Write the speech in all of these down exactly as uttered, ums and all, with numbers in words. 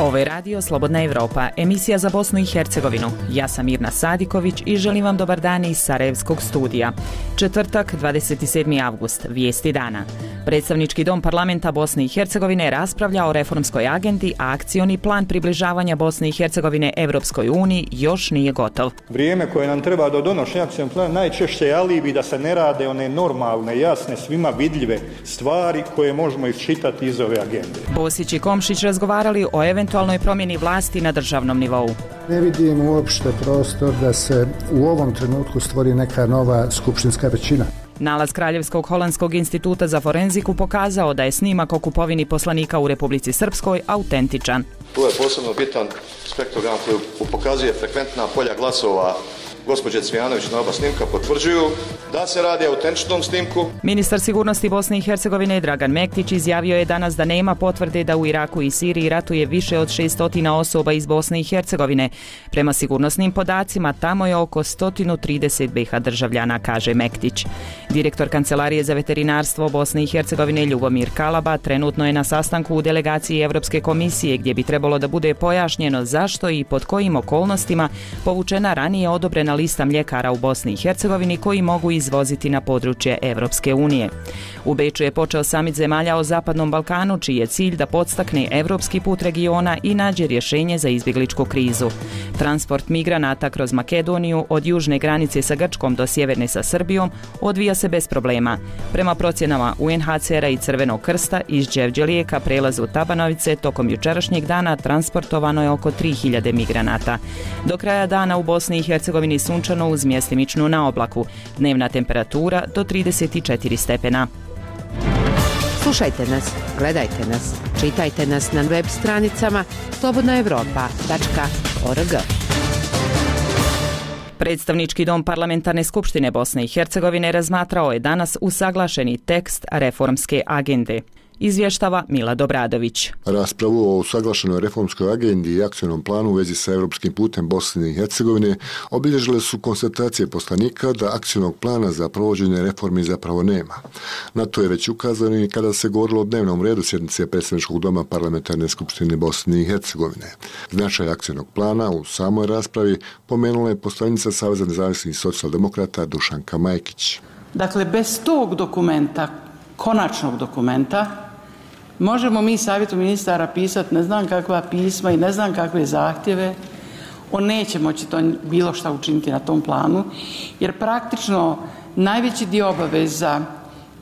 Ovo je radio Slobodna Evropa, emisija za Bosnu i Hercegovinu. Ja sam Mirna Sadiković i želim vam dobar dan iz Sarajevskog studija. Četvrtak, dvadeset sedmi avgust, vijesti dana. Predstavnički dom parlamenta Bosne i Hercegovine raspravlja o reformskoj agendi, a akcioni plan približavanja Bosne i Hercegovine Evropskoj uniji još nije gotov. Vrijeme koje nam treba do donošenja akcionog plana najčešće je alibi da se ne rade one normalne, jasne, svima vidljive stvari koje možemo iščitati iz ove agende. Bosić i Komšić razgovarali o eventualnoj promjeni vlasti na državnom nivou. Ne vidim uopšte prostor da se u ovom trenutku stvori neka nova skupštinska većina. Nalaz Kraljevskog holandskog instituta za forenziku pokazao da je snimak o kupovini poslanika u Republici Srpskoj autentičan. Tu je posebno bitan spektrogram koji pokazuje frekventna polja glasova gospođe Cvijanović na oba snimka, potvrđuju da se radi o autentičnom snimku. Ministar sigurnosti Bosne i Hercegovine Dragan Mektić izjavio je danas da nema potvrde da u Iraku i Siriji ratuje više od šesnaest osoba iz Bosne i Hercegovine. Prema sigurnosnim podacima, tamo je oko sto trideset B iH državljana, kaže Mektić. Direktor Kancelarije za veterinarstvo Bosne i Hercegovine Ljubomir Kalaba trenutno je na sastanku u delegaciji Evropske komisije gdje bi trebalo da bude pojašnjeno zašto i pod kojim okolnostima povučena ranije odobrena lista mljekara u Bosni i Hercegovini koji mogu izvoziti na područje Evropske unije. U Beču je počeo samit zemalja o Zapadnom Balkanu, čiji je cilj da podstakne evropski put regiona i nađe rješenje za izbjegličku krizu. Transport migranata kroz Makedoniju od južne granice sa Grčkom do sjeverne sa Srbijom odvija se bez problema. Prema procjenama U N H C R-a i Crvenog krsta iz Đevđelije ka prelazu Tabanovice tokom jučerašnjeg dana transportovano je oko tri hiljade migranata. Do kraja dana u Bosni i Hercegovini sunčano uz mjestimičnu na oblaku. Dnevna temperatura do trideset četiri stepena. Slušajte nas, gledajte nas, čitajte nas na web stranicama slobodna evropa tačka org. Predstavnički dom Parlamentarne skupštine Bosne i Hercegovine razmatrao je danas usaglašeni tekst reformske agende. Izvještava Mila Dobradović. Raspravu o usaglašenoj reformskoj agendi i akcionom planu u vezi sa europskim putem Bosne i Hercegovine obilježile su konstatacije poslanika da akcionog plana za provođenje reformi zapravo nema. Na to je već ukazano i kada se govorilo o dnevnom redu sjednice Predstavničkog doma Parlamentarne skupštine Bosne i Hercegovine. Značaj akcionog plana u samoj raspravi pomenula je poslanica Saveza nezavisnih socijaldemokrata Dušanka Majkić. Dakle, bez tog dokumenta, konačnog dokumenta, možemo mi savjetu ministara pisati ne znam kakva pisma i ne znam kakve zahtjeve, on neće moći to bilo šta učiniti na tom planu, jer praktično najveći dio obaveza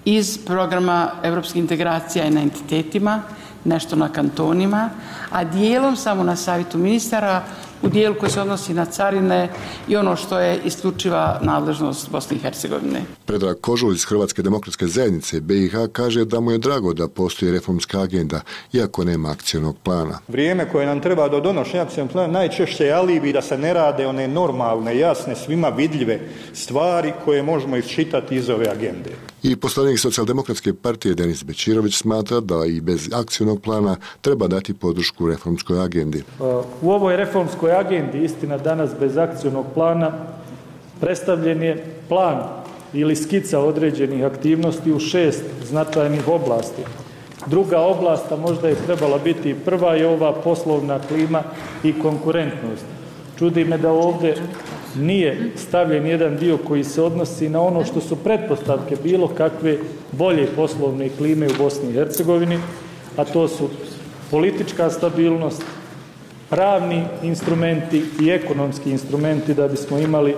iz programa evropskih integracija je na entitetima, nešto na kantonima, a dijelom samo na savjetu ministara u dijelu koji se odnosi na carine i ono što je isključiva nadležnost Bosne i Hercegovine. Predrag Kožul iz Hrvatske demokratske zajednice B iH kaže da mu je drago da postoji reformska agenda, iako nema akcionog plana. Vrijeme koje nam treba do donošenja akcionog plana najčešće je alibi da se ne rade one normalne, jasne, svima vidljive stvari koje možemo iščitati iz ove agende. I poslanik Socijaldemokratske partije Denis Bečirović smatra da i bez akcionog plana treba dati podršku reformskoj agendi. U ovoj reformskoj agendi, istina danas bez akcionog plana, predstavljen je plan ili skica određenih aktivnosti u šest značajnih oblasti. Druga oblast, a možda je trebala biti prva, je ova poslovna klima i konkurentnost. Čudi me da ovdje nije stavljen jedan dio koji se odnosi na ono što su pretpostavke bilo kakve bolje poslovne klime u Bosni i Hercegovini, a to su politička stabilnost, pravni instrumenti i ekonomski instrumenti da bismo imali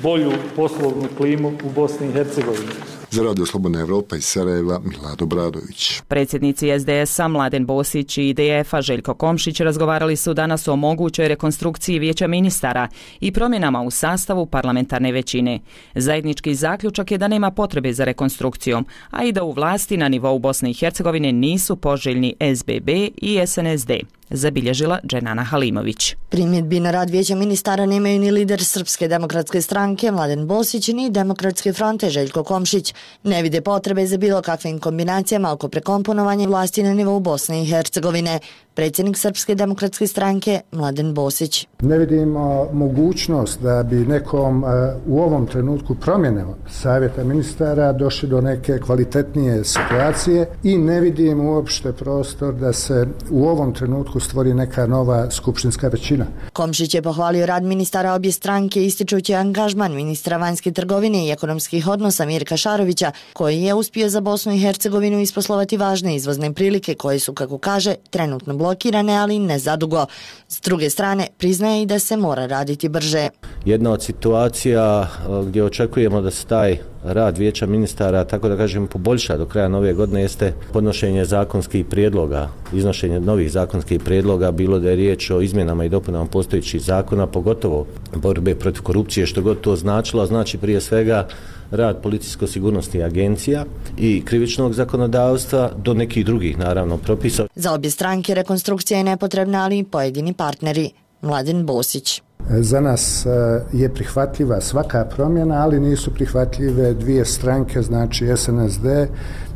bolju poslovnu klimu u Bosni i Hercegovini. Za Radio Slobodna Evropa iz Sarajeva, Mila Dobradović. Predsjednici S D S-a Mladen Bosić i I D F-a Željko Komšić razgovarali su danas o mogućoj rekonstrukciji vijeća ministara i promjenama u sastavu parlamentarne većine. Zajednički zaključak je da nema potrebe za rekonstrukcijom, a i da u vlasti na nivou Bosne i Hercegovine nisu poželjni S B B i S N S D. zabilježila Dženana Halimović. Primjedbi na rad Vijeća ministara nemaju ni lider Srpske demokratske stranke Mladen Bosić ni Demokratske fronte Željko Komšić. Ne vide potrebe za bilo kakvim kombinacijama oko prekomponovanja vlasti na nivou Bosne i Hercegovine. Predsjednik Srpske demokratske stranke Mladen Bosić. Ne vidimo mogućnost da bi nekom u ovom trenutku promjene savjeta ministara došli do neke kvalitetnije situacije i ne vidim uopšte prostor da se u ovom trenutku stvori neka nova skupštinska većina. Komšić je pohvalio rad ministara obje stranke ističući angažman ministra vanjske trgovine i ekonomskih odnosa Mirka Šarovića, koji je uspio za Bosnu i Hercegovinu isposlovati važne izvozne prilike koje su, kako kaže, trenutno blokirane, ali ne zadugo. S druge strane, priznaje i da se mora raditi brže. Jedna od situacija gdje očekujemo da se taj rad Vijeća ministara, tako da kažem, poboljša do kraja nove godine jeste podnošenje zakonskih prijedloga, iznošenje novih zakonskih prijedloga, bilo da je riječ o izmjenama i dopunama postojećih zakona, pogotovo borbe protiv korupcije, što god to značilo, znači prije svega rad policijsko-sigurnosnih agencija i krivičnog zakonodavstva do nekih drugih, naravno, propisa. Za obje stranke rekonstrukcija je nepotrebna, ali i pojedini partneri. Mladen Bosić. Za nas je prihvatljiva svaka promjena, ali nisu prihvatljive dvije stranke, znači S N S D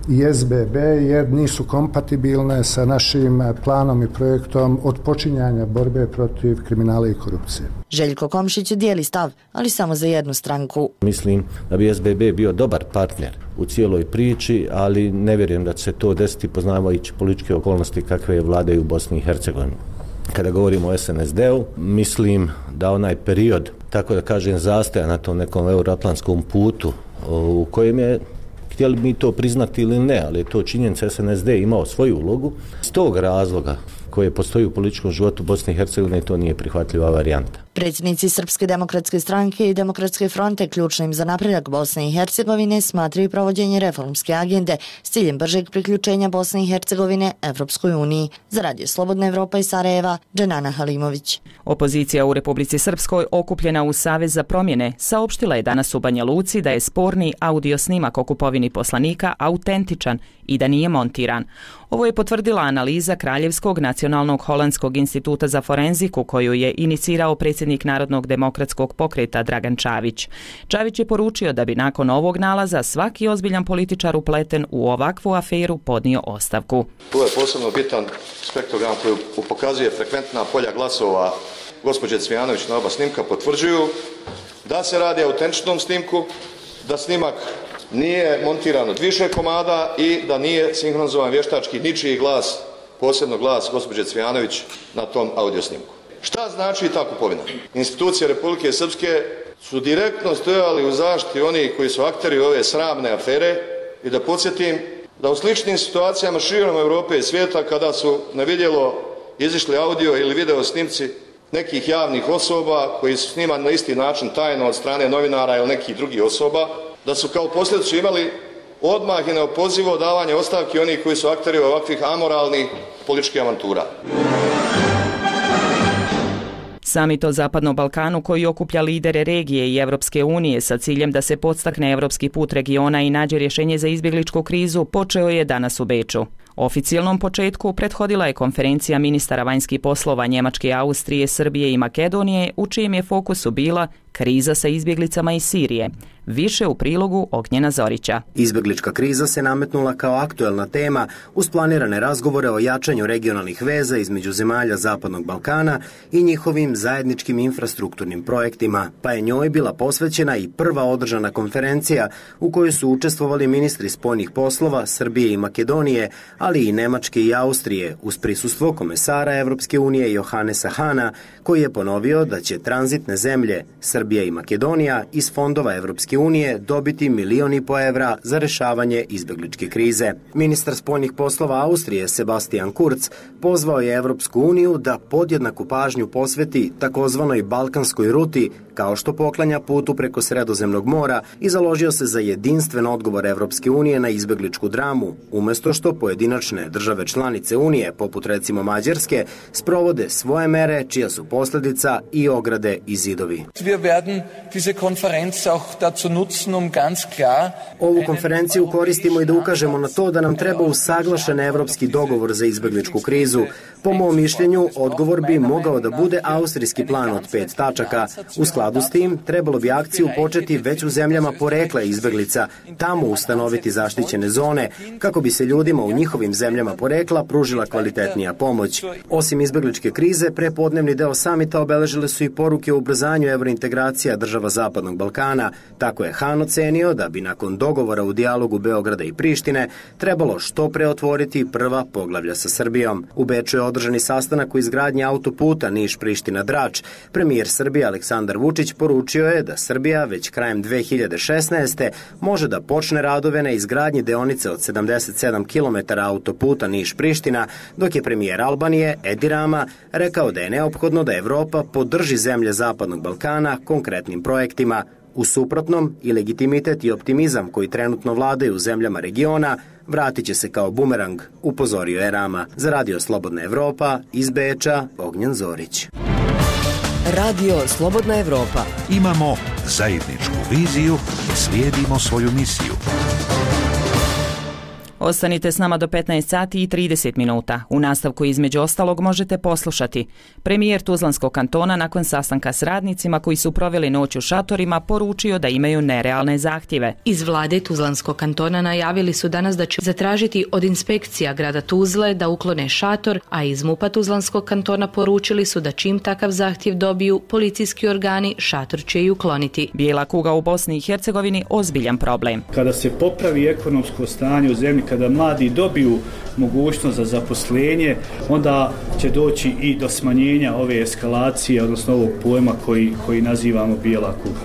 i S B B, jer nisu kompatibilne sa našim planom i projektom odpočinjanja borbe protiv kriminala i korupcije. Željko Komšić dijeli stav, ali samo za jednu stranku. Mislim da bi S B B bio dobar partner u cijeloj priči, ali ne vjerujem da će se to desiti poznavajući političke okolnosti kakve vladaju u Bosni i Hercegovini. Kada govorimo o S N S D-u, mislim da onaj period, tako da kažem, zastoja na tom nekom euroatlantskom putu u kojem je, htjeli mi to priznati ili ne, ali je to činjenica, S N S D imao svoju ulogu. S tog razloga koje postoji u političkom životu Bosne i Hercegovine, to nije prihvatljiva varijanta. Predsjednici Srpske demokratske stranke i Demokratske fronte ključnim za napredak Bosne i Hercegovine smatraju provođenje reformske agende s ciljem bržeg priključenja Bosne i Hercegovine Evropskoj uniji. Za Radio Slobodna Evropa iz Sarajeva, Dženana Halimović. Opozicija u Republici Srpskoj, okupljena u Savez za promjene, saopštila je danas u Banja Luci da je sporni audio snimak o kupovini poslanika autentičan i da nije montiran. Ovo je potvrdila analiza Kraljevskog nacionalnog holandskog instituta za forenziku koju je inicirao predsjednik Narodnog demokratskog pokreta Dragan Čavić. Čavić je poručio da bi nakon ovog nalaza svaki ozbiljan političar upleten u ovakvu aferu podnio ostavku. Tu je posebno bitan spektrogram koji pokazuje frekventna polja glasova gospođe Cvijanović na oba snimka, potvrđuju da se radi o autentičnom snimku, da snimak nije montiran od više komada i da nije sinhronizovan vještački ničiji glas, posebno glas gospođe Cvijanović na tom audio snimku. Šta znači ta kupovina? Institucije Republike Srpske su direktno stojali u zaštiti onih koji su akteri ove sramne afere i da podsjetim da u sličnim situacijama širom Europe i svijeta kada su na vidjelo izišli audio ili video snimci nekih javnih osoba koji su snimani na isti način tajno od strane novinara ili nekih drugih osoba, da su kao posljedicu imali odmah i neopozivo davanje ostavki onih koji su akteri ovakvih amoralnih političkih avantura. Samit o Zapadnom Balkanu koji okuplja lidere regije i Evropske unije sa ciljem da se podstakne evropski put regiona i nađe rješenje za izbjegličku krizu počeo je danas u Beču. Oficijalnom početku prethodila je konferencija ministara vanjskih poslova Njemačke, Austrije, Srbije i Makedonije, u čijem je fokusu bila kriza sa izbjeglicama iz Sirije. Više u prilogu Ognjena Zorića. Izbjeglička kriza se nametnula kao aktuelna tema uz planirane razgovore o jačanju regionalnih veza između zemalja Zapadnog Balkana i njihovim zajedničkim infrastrukturnim projektima, pa je njoj bila posvećena i prva održana konferencija u kojoj su učestvovali ministri spoljnih poslova Srbije i Makedonije, ali i Nemačke i Austrije, uz prisustvo komesara Evropske unije Johannesa Hana, koji je ponovio da će tranzitne zemlje Srbija i Makedonija iz fondova Evropske unije dobiti milion i po evra za rešavanje izbjegličke krize. Ministar spoljnih poslova Austrije Sebastian Kurz pozvao je Evropsku uniju da podjednaku pažnju posveti takozvanoj balkanskoj ruti, kao što poklanja putu preko Sredozemnog mora, i založio se za jedinstven odgovor Evropske unije na izbjegličku dramu, umjesto što pojedinačne države članice Unije, poput recimo Mađarske, sprovode svoje mere čija su posljedica i ograde i zidovi. Ovu konferenciju koristimo i da ukažemo na to da nam treba usaglašen evropski dogovor za izbjegličku krizu, Po mom mišljenju, odgovor bi mogao da bude austrijski plan od pet tačaka. U skladu s tim, trebalo bi akciju početi već u zemljama porekla izbeglica, tamo ustanoviti zaštićene zone, kako bi se ljudima u njihovim zemljama porekla pružila kvalitetnija pomoć. Osim izbegličke krize, prepodnevni deo samita obeležile su i poruke o ubrzanju evrointegracija država Zapadnog Balkana. Tako je Han ocenio da bi nakon dogovora u dijalogu Beograda i Prištine trebalo što pre otvoriti prva poglavlja sa Srbijom. U Beču je održani sastanak u izgradnji autoputa Niš-Priština-Drač. Premijer Srbije Aleksandar Vučić poručio je da Srbija već krajem dve hiljade šesnaeste. može da počne radove na izgradnji deonice od sedamdeset sedam kilometara autoputa Niš-Priština, dok je premijer Albanije Edi Rama rekao da je neophodno da Evropa podrži zemlje Zapadnog Balkana konkretnim projektima. U suprotnom, i legitimitet i optimizam koji trenutno vladaju u zemljama regiona vratit će se kao bumerang, upozorio je Rama. Za Radio Slobodna Evropa, iz Beča, Ognjen Zorić. Radio Slobodna Evropa. Imamo zajedničku viziju i slijedimo svoju misiju. Ostanite s nama do petnaest sati i trideset minuta. U nastavku između ostalog možete poslušati. Premijer Tuzlanskog kantona nakon sastanka s radnicima koji su proveli noć u šatorima poručio da imaju nerealne zahtjeve. Iz vlade Tuzlanskog kantona najavili su danas da će zatražiti od inspekcija grada Tuzle da uklone šator, a iz MUP-a Tuzlanskog kantona poručili su da čim takav zahtjev dobiju, policijski organi šator će i ukloniti. Bijela kuga u Bosni i Hercegovini ozbiljan problem. Kada se popravi ekonomsko stanje u zemlji, kada mladi dobiju mogućnost za zaposlenje, onda će doći i do smanjenja ove eskalacije, odnosno ovog pojma koji, koji nazivamo bijela kuga.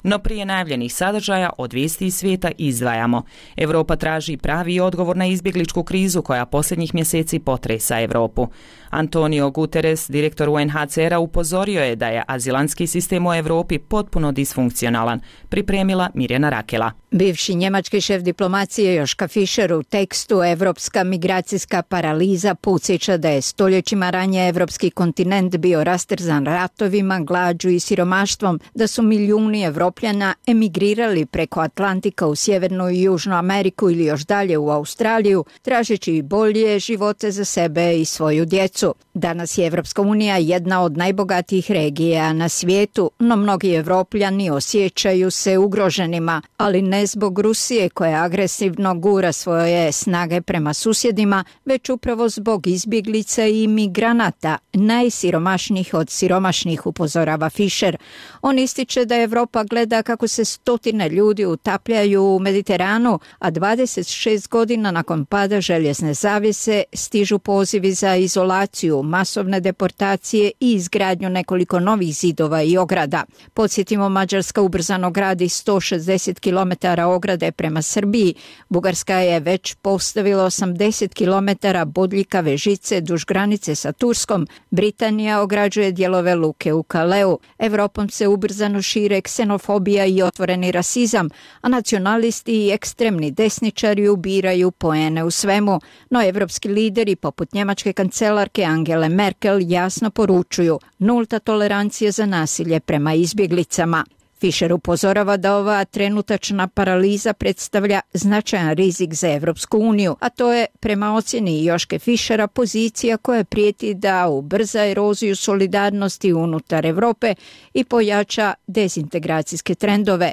No prije najavljenih sadržaja od vijesti iz svijeta izdvajamo. Europa traži pravi odgovor na izbjegličku krizu koja posljednjih mjeseci potresa Europu. Antonio Guterres, direktor U N H C R-a, upozorio je da je azilantski sistem u Europi potpuno disfunkcionalan. Pripremila Mirjana Rakela. Bivši njemački šef diplomacije Joška Fischer u tekstu Evropska migracijska paraliza podsjeća da je stoljećima ranije evropski kontinent bio rastrzan ratovima, glađu i siromaštvom, da su milijuni Evropljana emigrirali preko Atlantika u Sjevernu i Južnu Ameriku ili još dalje u Australiju, tražeći bolje živote za sebe i svoju djecu. Danas je Evropska unija jedna od najbogatijih regija na svijetu, no mnogi Evropljani osjećaju se ugroženima, ali ne zbog Rusije koja agresivno gura svoje snage prema susjedima, već upravo zbog izbjeglica i migranata, najsiromašnijih od siromašnih, upozorava Fischer. On ističe da Evropa gleda kako se stotine ljudi utapljaju u Mediteranu, a dvadeset šest godina nakon pada željezne zavjese stižu pozivi za izolaciju, masovne deportacije i izgradnju nekoliko novih zidova i ograda. Podsjetimo, Mađarska ubrzano gradi sto šezdeset kilometara ograde prema Srbiji. Bugarska je već postavila osamdeset kilometara bodljikave žice duž granice sa Turskom. Britanija ograđuje dijelove luke u Kaleu. Evropom se ubrzano šire ksenofobija i otvoreni rasizam, a nacionalisti i ekstremni desničari ubiraju poene u svemu. No evropski lideri poput njemačke kancelarke Angele Merkel jasno poručuju nulta tolerancija za nasilje prema izbjeglicama. Fischer upozorava da ova trenutačna paraliza predstavlja značajan rizik za Evropsku uniju, a to je, prema ocjeni Joške Fischera, pozicija koja prijeti da ubrza eroziju solidarnosti unutar Europe i pojača dezintegracijske trendove.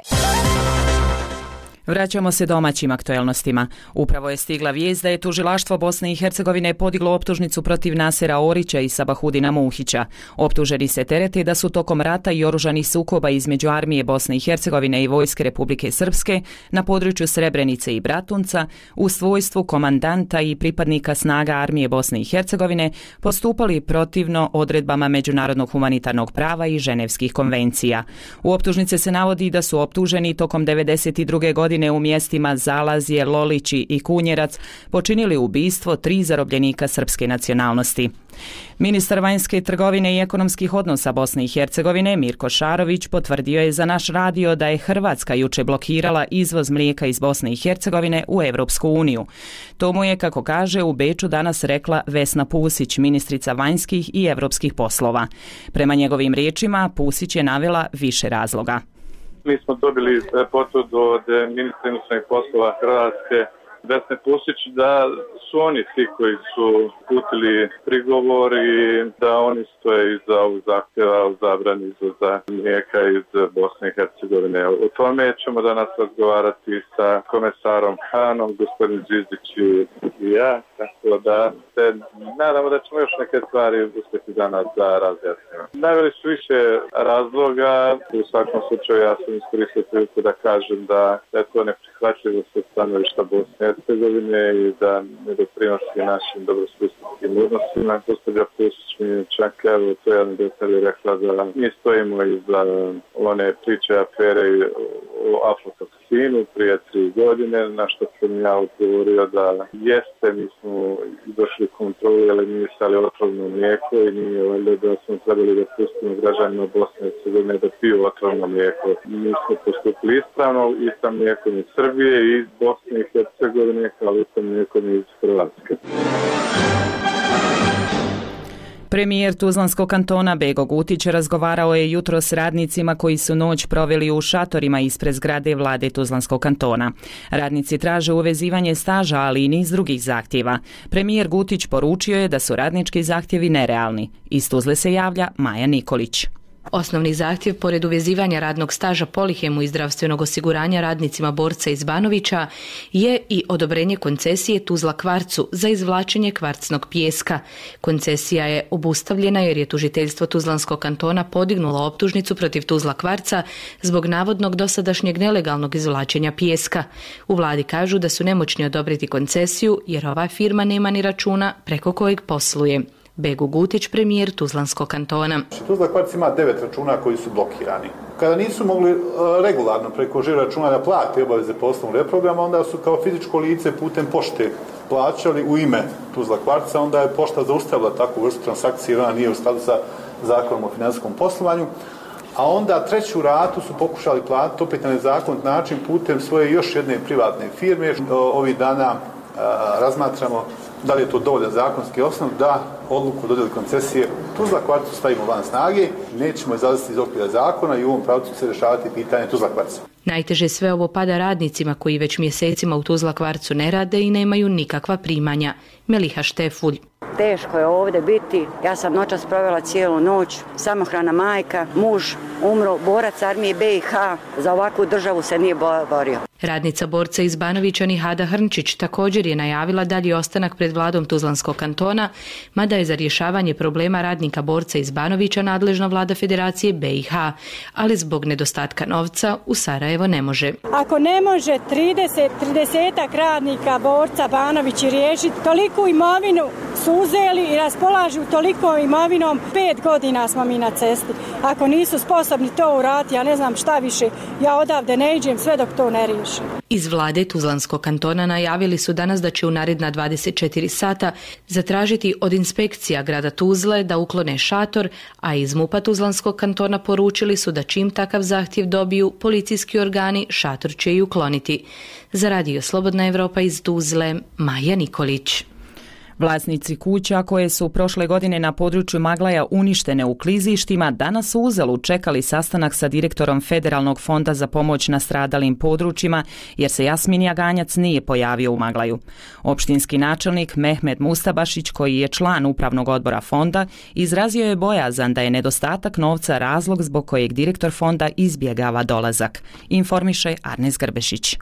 Vraćamo se domaćim aktuelnostima. Upravo je stigla vijest da je tužilaštvo Bosne i Hercegovine podiglo optužnicu protiv Nasera Orića i Sabahudina Muhića. Optuženi se terete da su tokom rata i oružanih sukoba između armije Bosne i Hercegovine i vojske Republike Srpske na području Srebrenice i Bratunca u svojstvu komandanta i pripadnika snaga armije Bosne i Hercegovine postupali protivno odredbama međunarodnog humanitarnog prava i ženevskih konvencija. U optužnice se navodi da su optuženi tokom devedeset druge godine u mjestima Zalazje, Lolići i Kunjerac počinili ubistvo tri zarobljenika srpske nacionalnosti. Ministar vanjske trgovine i ekonomskih odnosa Bosne i Hercegovine Mirko Šarović potvrdio je za naš radio da je Hrvatska juče blokirala izvoz mlijeka iz Bosne i Hercegovine u Europsku uniju. To mu je, kako kaže, u Beču danas rekla Vesna Pusić, ministrica vanjskih i europskih poslova. Prema njegovim riječima, Pusić je navela više razloga. Mi smo dobili potvrdu od ministra inostranih poslova Hrvatske Vesne Pusić da su oni ti koji su putili prigovor i da oni stoje iza ovog zahtjeva o zabrani izvoza mlijeka iz Bosne i Hercegovine. O tome ćemo danas razgovarati sa komesarom Hanom, gospodin Zizdić i ja, tako da se nadamo da ćemo još neke stvari uspjeti danas da razjasnimo. Naveli su više razloga, u svakom slučaju ja sam iskoristio priliku da kažem da je to neprihvatljivo sa stanovišta Bosne i Hercegovine i da ne doprinosi našim dobrosusjedskim odnosima. Gospođa Pusić mi čak evo to jedan detalj rekla da mi stojimo iza one priče afere o aflatoksinu prije tri godine, na što sam ja odgovorio da jeste, mi smo došli kontrolu eliminisali otrovno mlijeko i nije valjda da smo trebali da pustimo građanima Bosne i Hercegovine da piju otrovno mlijeko. Mi smo postupili ispravno i sa mlijekom iz Srbije i iz Bosne i Hercegovine kao i sa mlijekom iz Hrvatske. Premijer Tuzlanskog kantona Bego Gutić razgovarao je jutro s radnicima koji su noć proveli u šatorima ispred zgrade vlade Tuzlanskog kantona. Radnici traže uvezivanje staža, ali i niz drugih zahtjeva. Premijer Gutić poručio je da su radnički zahtjevi nerealni. Iz Tuzle se javlja Maja Nikolić. Osnovni zahtjev, pored uvezivanja radnog staža Polihemu i zdravstvenog osiguranja radnicima Borca iz Banovića, je i odobrenje koncesije Tuzla Kvarcu za izvlačenje kvarcnog pijeska. Koncesija je obustavljena jer je tužiteljstvo Tuzlanskog kantona podignulo optužnicu protiv Tuzla Kvarca zbog navodnog dosadašnjeg nelegalnog izvlačenja pijeska. U vladi kažu da su nemoćni odobriti koncesiju jer ova firma nema ni računa preko kojeg posluje. Bego Gutić, premijer Tuzlanskog kantona. Tuzla Kvarc ima devet računa koji su blokirani. Kada nisu mogli regularno preko žiro računa da plate obaveze poslovnog reprograma, onda su kao fizičko lice putem pošte plaćali u ime Tuzla Kvarca, onda je pošta zaustavila takvu vrstu transakcije, ona nije u skladu sa zakonom o financijskom poslovanju, a onda treću ratu su pokušali platiti opet na nezakonit način putem svoje još jedne privatne firme. Ovih dana a, razmatramo da li je to dovoljan zakonski osnov da odluku o dodjeli koncesije Tuzla Kvarcu stavimo van snage, nećemo izlaziti iz okvira zakona i u ovom pravcu će se rješavati pitanje Tuzla Kvarca. Najteže sve ovo pada radnicima koji već mjesecima u Tuzla Kvarcu ne rade i nemaju nikakva primanja. Meliha Štefulj. Teško je ovdje biti. Ja sam noćas provela cijelu noć, samohrana majka, muž umro, borac armije be i ha, za ovakvu državu se nije borio. Radnica Borca iz Banovića Nihada Hrnčić također je najavila dalji ostanak pred vladom Tuzlanskog kantona, mada je za rješavanje problema radnika Borca iz Banovića nadležna vlada Federacije be i ha, ali zbog nedostatka novca u Sarajevo ne može. Ako ne može trideset, tridesetak radnika Borca Banovići riješiti, toliku imovinu su uzeli i raspolažu toliko imovinom, pet godina smo mi na cesti. Ako nisu sposobni to uraditi, ja ne znam šta više, ja odavde ne iđem sve dok to ne riješi. Iz vlade Tuzlanskog kantona najavili su danas da će u naredna dvadeset četiri sata zatražiti od inspekcija grada Tuzle da uklone šator, a iz MUP-a Tuzlanskog kantona poručili su da čim takav zahtjev dobiju, policijski organi šator će i ukloniti. Za Radio Slobodna Evropa iz Tuzle, Maja Nikolić. Vlasnici kuća koje su prošle godine na području Maglaja uništene u klizištima danas su uzalud čekali sastanak sa direktorom Federalnog fonda za pomoć nastradalim područjima jer se Jasmin Jaganjac nije pojavio u Maglaju. Opštinski načelnik Mehmed Mustabašić, koji je član upravnog odbora fonda, izrazio je bojazan da je nedostatak novca razlog zbog kojeg direktor fonda izbjegava dolazak. Informiše Arnes Grbešić.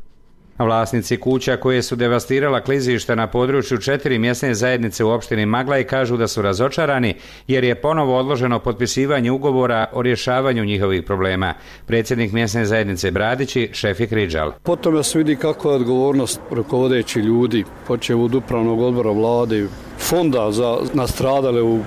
Vlasnici kuća koje su devastirala klizišta na području četiri mjesne zajednice u opštini Maglaj kažu da su razočarani jer je ponovo odloženo potpisivanje ugovora o rješavanju njihovih problema. Predsjednik mjesne zajednice Bradići, Šefik Ridžal. Potom se vidi kako je odgovornost rukovodeći ljudi, počev od upravnog odbora vlade, fonda za nastradale u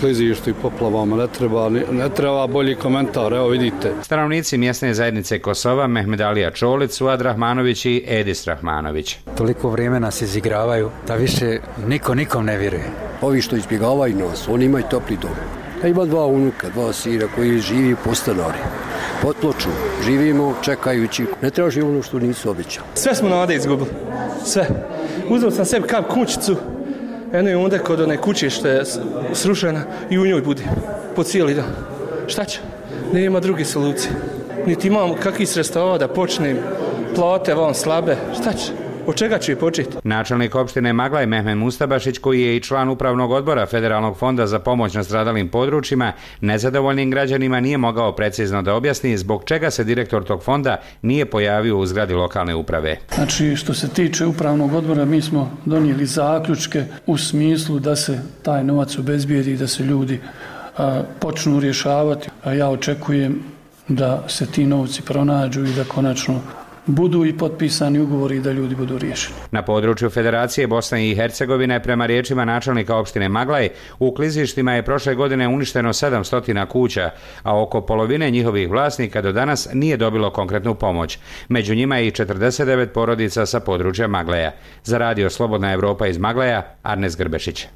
klizištu i poplavama. Ne treba, ne treba bolji komentar, evo vidite. Stanovnici mjesne zajednice Kosova, Mehmedalija Čolić, Suad Rahmanović i Edis Rahmanović. Toliko vrijeme nas izigravaju da više niko nikom ne vjeruje. Ovi što izbjegavaju nas, oni imaju topli dom. Ja ima dva unuka, dva sira koji živi po stanari. Pod ploču živimo čekajući, ne traži ono što nisu obećali. Sve smo nade izgubili, sve. Uzeo sam sebi kap kućicu, eno je onda kod one kuće što je srušena i u njoj bude po cijeli dan. Šta će? Nema druge solucije. Niti imam kakvih sredstava da počnem, plate van slabe, šta će? Od čega će početi? Načelnik opštine Maglaj Mehmed Mustabašić, koji je i član upravnog odbora Federalnog fonda za pomoć nastradalim područjima, nezadovoljnim građanima nije mogao precizno da objasni zbog čega se direktor tog fonda nije pojavio u zgradi lokalne uprave. Znači, što se tiče upravnog odbora, mi smo donijeli zaključke u smislu da se taj novac obezbijedi i da se ljudi a, počnu rješavati. A ja očekujem da se ti novci pronađu i da konačno budu i potpisani ugovori i da ljudi budu riješeni. Na području Federacije Bosne i Hercegovine, prema riječima načelnika opštine Maglaj, u klizištima je prošle godine uništeno sedamsto kuća, a oko polovine njihovih vlasnika do danas nije dobilo konkretnu pomoć. Među njima je i četrdeset devet porodica sa područja Maglaja. Za radio Slobodna Evropa iz Maglaja, Arnes Grbešić.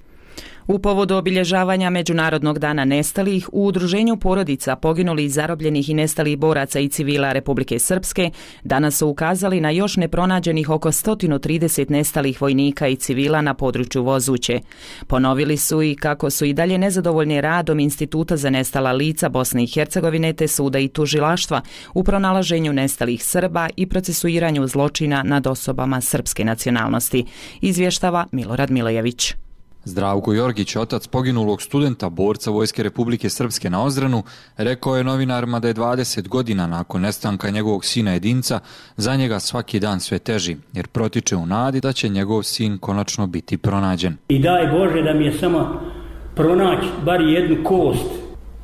U povodu obilježavanja Međunarodnog dana nestalih, u Udruženju porodica poginulih, zarobljenih i nestalih boraca i civila Republike Srpske danas su ukazali na još nepronađenih oko sto trideset nestalih vojnika i civila na području Vozuće. Ponovili su i kako su i dalje nezadovoljni radom Instituta za nestala lica Bosne i Hercegovine te suda i tužilaštva u pronalaženju nestalih Srba i procesuiranju zločina nad osobama srpske nacionalnosti, izvještava Milorad Milojević. Zdravko Jorgić, otac poginulog studenta, borca Vojske Republike Srpske na Ozranu, rekao je novinarima da je dvadeset godina nakon nestanka njegovog sina jedinca za njega svaki dan sve teži, jer protiče u nadi da će njegov sin konačno biti pronađen. I daj Bože da mi je samo pronaći bar jednu kost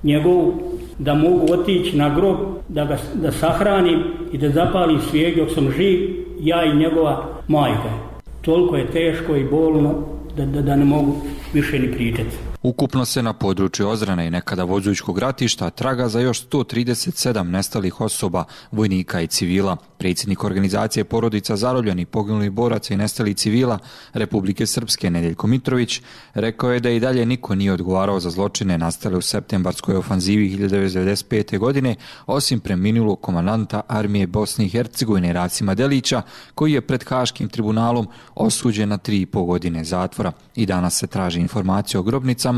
njegovu, da mogu otići na grob, da ga da sahranim i da zapalim svijeg dok sam živ, ja i njegova majka. Toliko je teško i bolno Da, da, da ne mogu više ni pričati. Ukupno se na području Ozrane i nekada Vozućkog ratišta traga za još sto trideset sedam nestalih osoba, vojnika i civila. Predsjednik organizacije porodica zarobljenih, poginulih boraca i nestalih civila Republike Srpske Nedeljko Mitrović rekao je da i dalje niko nije odgovarao za zločine nastale u septembarskoj ofanzivi hiljadu devetsto devedeset pete. godine, osim preminulog komandanta armije Bosne i Hercegovine Racima Delića, koji je pred Haškim tribunalom osuđen na tri i po godine zatvora. I danas se traži informacija o grobnicama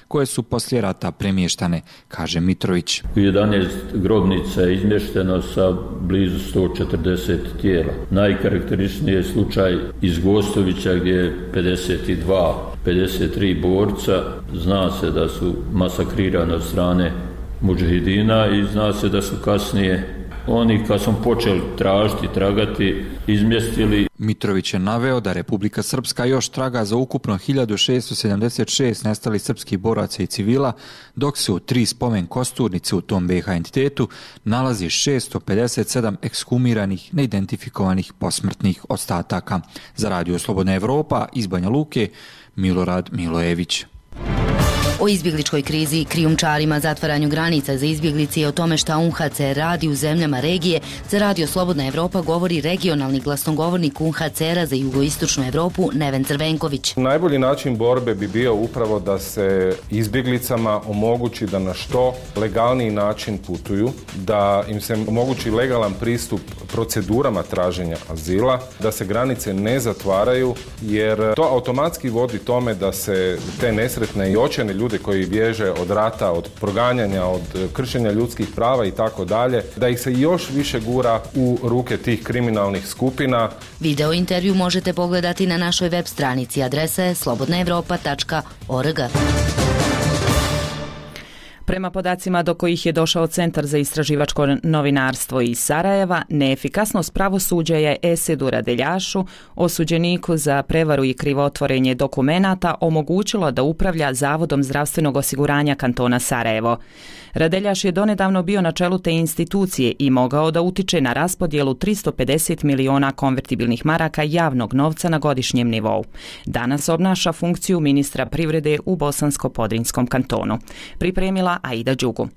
koje su poslije rata premještane, kaže Mitrović. U jedanaest grobnica je izmješteno sa blizu sto četrdeset tijela. Najkarakteričniji je slučaj iz Gostovića gdje je pedeset dva, pedeset tri borca. Zna se da su masakrirani od strane mudžahidina i zna se da su kasnije oni kad smo počeli tražiti, tragati, izmjestili. Mitrović je naveo da Republika Srpska još traga za ukupno hiljadu šesto sedamdeset šest nestalih srpskih boraca i civila, dok se u tri spomen kosturnice u tom be ha entitetu nalazi šesto pedeset sedam ekshumiranih, neidentifikovanih posmrtnih ostataka. Za radio Slobodna Evropa iz Banja Luke, Milorad Milojević. O izbjegličkoj krizi, krijumčarima, zatvaranju granica za izbjeglice i o tome šta U N H C R radi u zemljama regije, za radio Slobodna Evropa govori regionalni glasnogovornik U N H C R-a za jugoistočnu Evropu Neven Crvenković. Najbolji način borbe bi bio upravo da se izbjeglicama omogući da na što legalniji način putuju, da im se omogući legalan pristup procedurama traženja azila, da se granice ne zatvaraju, jer to automatski vodi tome da se te nesretne i očajne ljude koji bježe od rata, od proganjanja, od kršenja ljudskih prava i tako dalje, da ih se još više gura u ruke tih kriminalnih skupina. Video intervju možete pogledati na našoj web stranici, adresa je slobodna evropa tačka org. Prema podacima do kojih je došao Centar za istraživačko novinarstvo iz Sarajeva, neefikasnost pravosuđa je Esedu Radeljašu, osuđeniku za prevaru i krivotvorenje dokumenata, omogućilo da upravlja Zavodom zdravstvenog osiguranja kantona Sarajevo. Radeljaš je donedavno bio na čelu te institucije i mogao da utiče na raspodjelu tristo pedeset miliona konvertibilnih maraka javnog novca na godišnjem nivou. Danas obnaša funkciju ministra privrede u Bosansko-Podrinjskom kantonu. Pripremila Aida Đugu.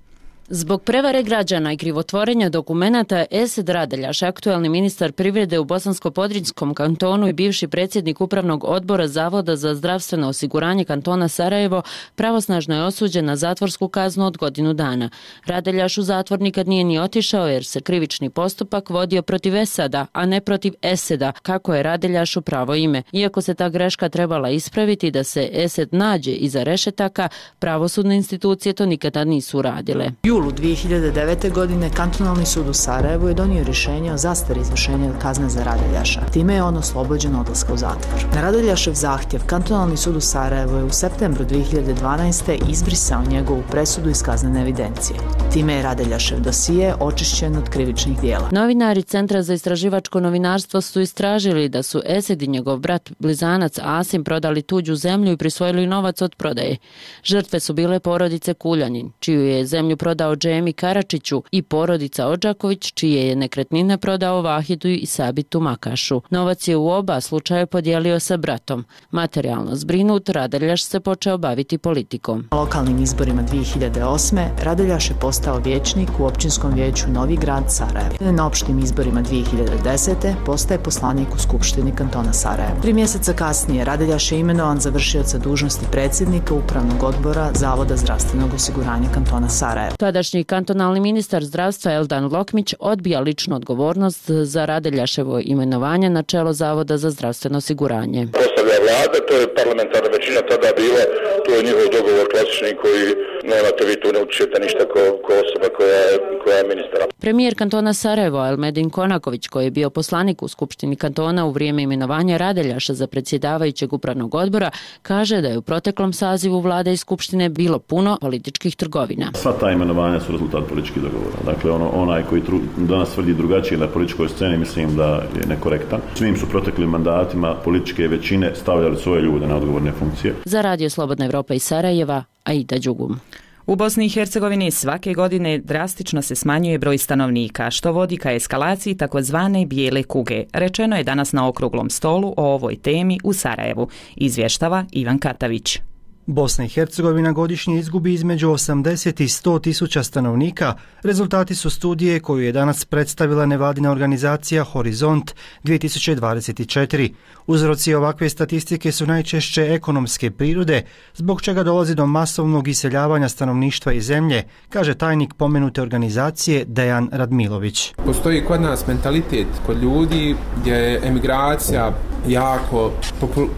Zbog prevare građana i krivotvorenja dokumenata, Esed Radeljaš, aktuelni ministar privrede u Bosansko-Podrinjskom kantonu i bivši predsjednik upravnog odbora Zavoda za zdravstveno osiguranje kantona Sarajevo, pravosnažno je osuđen na zatvorsku kaznu od godinu dana. Radeljaš u zatvor nikad nije ni otišao jer se krivični postupak vodio protiv Esada, a ne protiv Eseda, kako je Radeljašu pravo ime. Iako se ta greška trebala ispraviti da se Esed nađe iza rešetaka, pravosudne institucije to nikada nisu uradile. julu dvije hiljade devete. godine Kantonalni sud u Sarajevu je donio rješenje o zastari izvršenja kazne za Radeljaša. Time je on oslobođen odlaska u zatvor. Na Radeljašev zahtjev Kantonalni sud u Sarajevu je u septembru dvije hiljade dvanaeste. izbrisao njegovu presudu iz kaznene evidencije. Time je Radeljašev dosije očišćen od krivičnih dijela. Novinari Centra za istraživačko novinarstvo su istražili da su Esed i njegov brat blizanac Asim prodali tuđu zemlju i prisvojili novac od prodaje. Žrtve su bile porodice Kuljanin, čiju je zemlju prodao Džemi Karačiću, i porodica Odžaković, čije je nekretnine prodao Vahidu i Sabitu Makašu. Novac je u oba slučaja podijelio sa bratom. Materijalno zbrinut, Radeljaš se počeo baviti politikom. Na lokalnim izborima dvije hiljade osme. Radeljaš je postao vijećnik u općinskom vijeću Novi grad Sarajevo. Na opštim izborima dvije hiljade desete. postaje poslanik u Skupštini kantona Sarajevo. Tri mjeseca kasnije Radeljaš je imenovan za vršioca dužnosti predsjednika Upravnog odbora Zavoda zdravstvenog osiguranja kantona Sarajevo. Tadašnji kantonalni ministar zdravstva Eldan Lokmić odbija ličnu odgovornost za Radeljaševo imenovanje na čelo Zavoda za zdravstveno osiguranje. Postavlja vlada, to je parlamentarna većina tada bila, to je njihov dogovor klasični koji nemate, vi tu ne učite ništa ko, ko osoba koja je, koja je ministra. Premijer kantona Sarajevo Elmedin Konaković, koji je bio poslanik u Skupštini kantona u vrijeme imenovanja Radeljaša za predsjedavajućeg upravnog odbora, kaže da je u proteklom sazivu vlade i Skupštine bilo puno političkih trgovina. Sva ta imenovanja su rezultat političkih dogovora. Dakle, ono, onaj koji tru, danas tvrdi drugačije na političkoj sceni, mislim da je nekorektan. Svim su proteklim mandatima političke većine stavljali svoje ljude na odgovorne funkcije. Za Radio Slobodna Evropa iz Sarajeva, Aida Đugum. U Bosni i Hercegovini svake godine drastično se smanjuje broj stanovnika, što vodi ka eskalaciji takozvane bijele kuge. Rečeno je danas na okruglom stolu o ovoj temi u Sarajevu, izvještava Ivan Katavić. Bosna i Hercegovina godišnje izgubi između osamdeset i sto tisuća stanovnika. Rezultati su studije koju je danas predstavila nevladina organizacija Horizont dvije tisuće dvadeset četiri. Uzroci ovakve statistike su najčešće ekonomske prirode, zbog čega dolazi do masovnog iseljavanja stanovništva iz zemlje, kaže tajnik pomenute organizacije Dejan Radmilović. Postoji kod nas mentalitet kod ljudi gdje je emigracija jako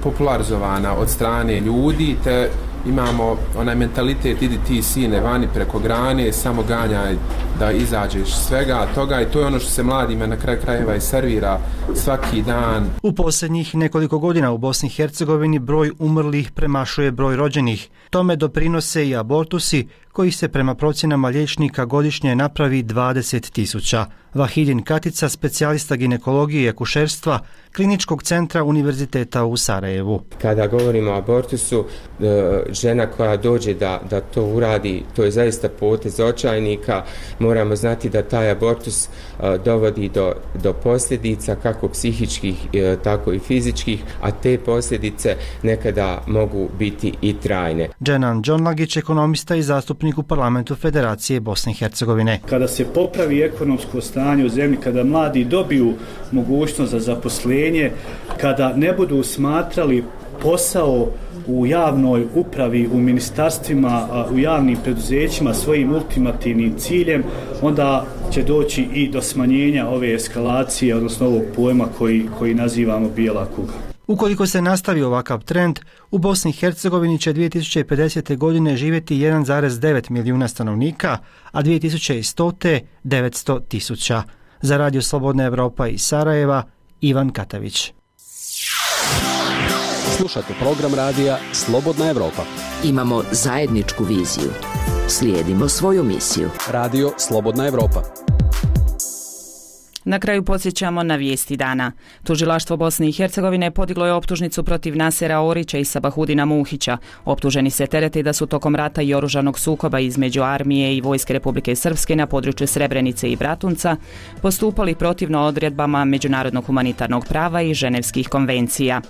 popularizovana od strane ljudi, te imamo onaj mentalitet idi ti sine vani preko grane, samo ganjaj da izađeš svega toga, i to je ono što se mladima na kraju krajeva i servira svaki dan. U posljednjih nekoliko godina u Bosni i Hercegovini broj umrlih premašuje broj rođenih. Tome doprinose i abortusi, koji se prema procjenama liječnika godišnje napravi dvadeset tisuća. Vahidin Katica, specijalista ginekologije i akušerstva Kliničkog centra Univerziteta u Sarajevu. Kada govorimo o abortusu, žena koja dođe da, da to uradi, to je zaista potez očajnika. Moramo znati da taj abortus dovodi do, do posljedica kako psihičkih, tako i fizičkih, a te posljedice nekada mogu biti i trajne. Dženan Džonlagić, ekonomista i zastupnik u parlamentu Federacije Bosne i Hercegovine. Kada se popravi ekonomsko stanje u zemlji, kada mladi dobiju mogućnost za zaposlenje, kada ne budu smatrali posao u javnoj upravi, u ministarstvima, u javnim preduzećima svojim ultimativnim ciljem, onda će doći i do smanjenja ove eskalacije, odnosno ovog pojma koji, koji nazivamo bijela kuga. Ukoliko se nastavi ovakav trend, u Bosni i Hercegovini će dvije tisuće pedesete. godine živjeti jedan zarez devet milijuna stanovnika, a dvije tisuće stote devetsto tisuća. Za Radio Slobodna Evropa iz Sarajeva, Ivan Katavić. Slušajte program radija Slobodna Evropa. Imamo zajedničku viziju. Slijedimo svoju misiju. Radio Slobodna Evropa. Na kraju podsjećamo na vijesti dana. Tužilaštvo Bosne i Hercegovine podiglo je optužnicu protiv Nasera Orića i Sabahudina Muhića. Optuženi se terete da su tokom rata i oružanog sukoba između armije i vojske Republike Srpske na području Srebrenice i Bratunca postupali protivno odredbama međunarodnog humanitarnog prava i ženevskih konvencija.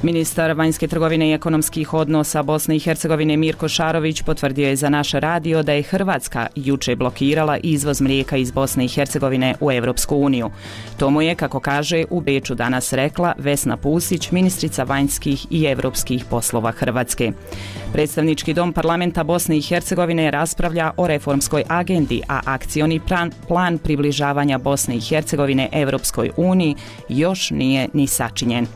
Ministar vanjske trgovine i ekonomskih odnosa Bosne i Hercegovine Mirko Šarović potvrdio je za naš radio da je Hrvatska juče blokirala izvoz mlijeka iz Bosne i Hercegovine u Evropsku uniju. To mu je, kako kaže, u Beču danas rekla Vesna Pusić, ministrica vanjskih i europskih poslova Hrvatske. Predstavnički dom parlamenta Bosne i Hercegovine raspravlja o reformskoj agendi, a akcioni plan, plan približavanja Bosne i Hercegovine Evropskoj uniji još nije ni sačinjen.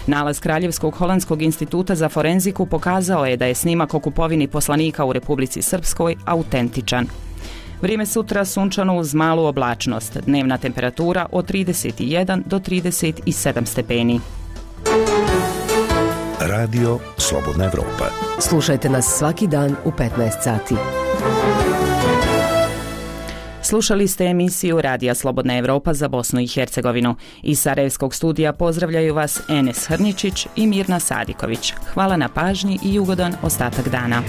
Nalaz Kraljevskog holandskog instituta za forenziku pokazao je da je snimak o kupovini poslanika u Republici Srpskoj autentičan. Vrijeme sutra sunčano uz malu oblačnost. Dnevna temperatura od trideset jedan do trideset sedam stepeni. Radio Slobodna Evropa. Slušajte nas svaki dan u petnaest sati. Slušali ste emisiju Radija Slobodna Evropa za Bosnu i Hercegovinu. Iz Sarajevskog studija pozdravljaju vas Enes Hrničić i Mirna Sadiković. Hvala na pažnji i ugodan ostatak dana.